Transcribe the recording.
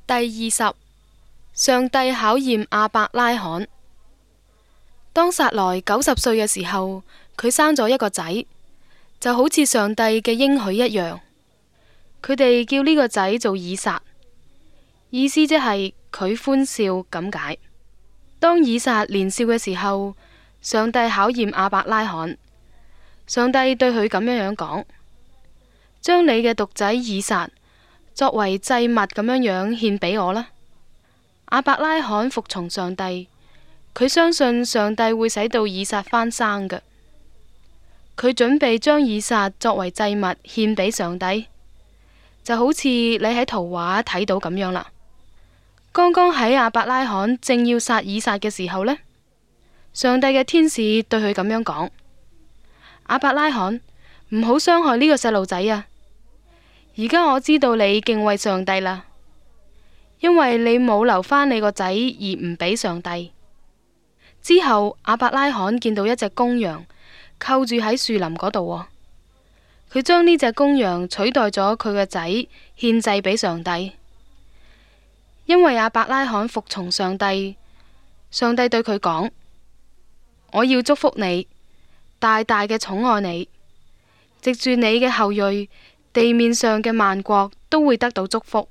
第20，上帝考驗亞伯拉罕。當撒萊90歲嘅時候，佢生咗一個仔，就好似上帝嘅應許一樣。佢哋叫呢個仔做以撒，意思即係佢歡笑咁解。當以撒年少嘅時候，上帝考驗亞伯拉罕。上帝對佢咁樣講：將你嘅獨仔以撒作為祭物咁樣獻俾我啦。亞伯拉罕服從上帝，佢相信上帝會使到以撒翻生嘅。佢準備將以撒作為祭物獻俾上帝，就好似你喺圖畫睇到咁樣啦。剛剛喺亞伯拉罕正要殺以撒嘅時候呢，上帝嘅天使對佢咁樣講：亞伯拉罕，唔好傷害呢個細路仔啊！而家我知道你敬畏上帝啦，因為你冇留返你個仔而唔俾上帝。之後亞伯拉罕見到一隻公羊扣住喺樹林嗰度喎，佢將呢隻公羊取代咗佢個仔獻祭俾上帝。因為亞伯拉罕服從上帝，上帝對佢講：我要祝福你，大大嘅寵愛你，藉住你嘅後裔，地面上嘅萬國都會得到祝福。